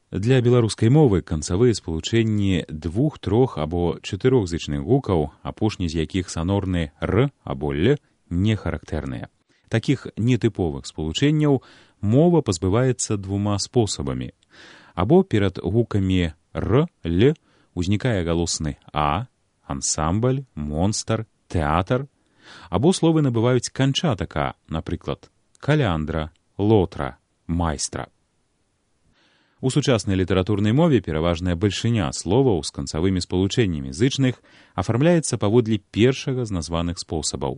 Для беларускай мовы канцавыя спалучэнні 2, 3 або 4зычных гукаў, апошні з якіх санорны «р» або «л», не характэрныя. Такіх нетыповых спалучэнняў мова пазбываецца 2 спосабамі. Або перад гукамі «р», «л» узнікае галосны «а», ансамбль, монстр, тэатр, або словы набываюць канчатак «а», напрыклад, каляндра, лотра, майстра. У сучаснай літаратурнай мове пераважная бальшыня словаў з канцавымі спалучэннямі зычных афармляецца паводле першага з названых спосабаў.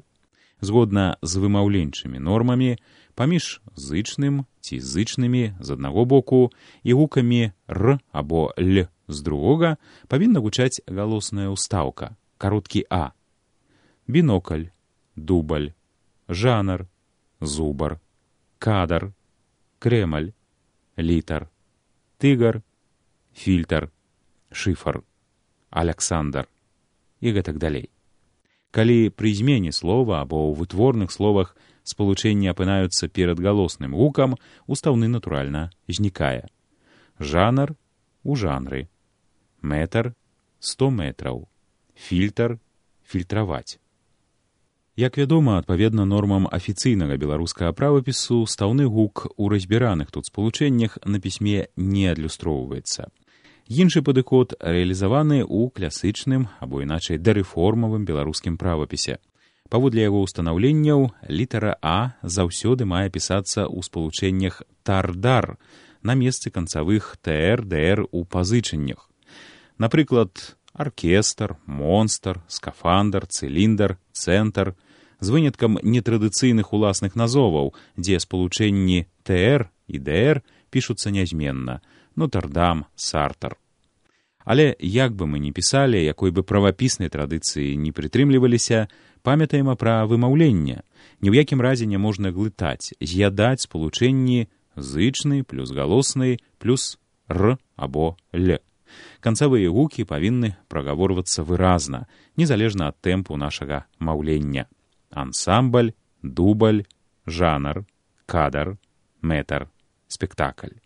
Згодна з вымаўленчымі нормамі, паміж зычным ці зычнымі з аднаго боку і гукамі «р» або «л» з другога павінна гучаць галосная ўстаўка, кароткі «а». Бінокль, дубль, жанр, зубар, кадр, крэмаль, літар, тыгар, фільтр, шыфар, Аляксандр і гэтак далей. Калі пры змене слова або ў вытворных словах спалучэнні апынаюцца перад галосным гукам, устаўны натуральна знікае. Жанр у жанры, метр 100 метраў, фільтр фільтраваць. Як вядома, адпаведна нормам афіцыйнага беларускага правапісу, стаўны гук у разбіраных тут спалучэннях на пісьме не адлюстроўваецца. Іншы падыход рэалізаваны ў класычным або іначай дарэформавым беларускім правапісе. Паводле яго ўстанаўленняў, літара «а» заўсёды мае пісацца ў спалучэннях «тар-дар» на месцы канцавых «тр», «др» у пазычаннях. Напрыклад, аркестр, монстр, скафандр, цыліндр, цэнтр, з выняткам нетрадыцыйных уласных назоваў, дзе спалучэнні «тр» і «др» пішуцца нязменна, Нотр-Дам, Сартар. Але як бы мы ні пісалі, якой бы правапіснай традыцыі не прытрымліваліся, памятаем пра вымаўленне. Ні ў якім разе не можна глытаць, з'ядаць спалучэнні зычны плюс галосны плюс «р» або «л». Канцавыя гукі павінны прагаворвацца выразна, незалежна ад тэмпу нашага маўлення. Ансамбль, дубль, жанр, кадр, метр, спектакль.